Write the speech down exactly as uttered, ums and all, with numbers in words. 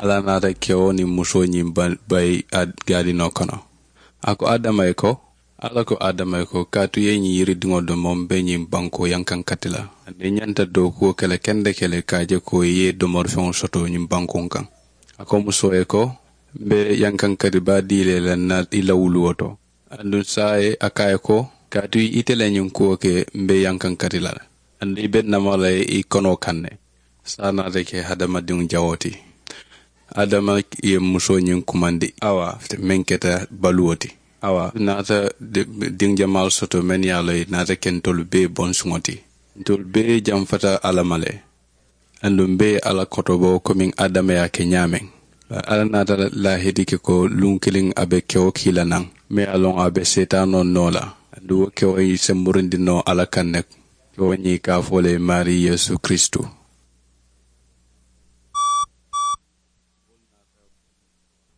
Alla naata kewo niŋ musoo ñiŋ bayi gaadinoo kono. A ko adama ye ko, alla ko adama ye ko, kaatu i ye ñiŋ yiridiŋo domo m be ñiŋ bankoo yankankati la. Aniŋ i ñanta dookuwo ke le kende ke le ka a je ko i ye domorifeŋo soto ñiŋ bankuŋ kaŋ. A ko musoo ye ko, m be yankankati baa dii le la n na i la wuluwo to. Aduŋ saayiŋ a ko a ye ko, kaatu ite le ñiŋ kuwo ke, m be yankankati la le. Aduŋ i be n nama la i konoo kaŋ ne. Saayiŋ naata ke hadamadiŋo jawoo ti. Adama ye musoo ñiŋ kumandi awa, meŋ keta baluwo ti. Awa naata diŋ jamaalu soto mennu ye a loŋ i naata ke ntolu bee bonsuŋo ti. Ntolu bee jamfata alla ma le. Aduŋ bee ye alla kotobo komiŋ adama ye a ke ñaameŋ. Alla naata laahidi ke ko luŋ kiliŋ a be kewo kii la naŋ, meŋ ye a loŋ a be seetaanoo noo la. Aduŋ wo kewo ye semburindi noo alla kaŋ ne. Kewo ñiŋ i ka a fo le maarii yeesu kiristu.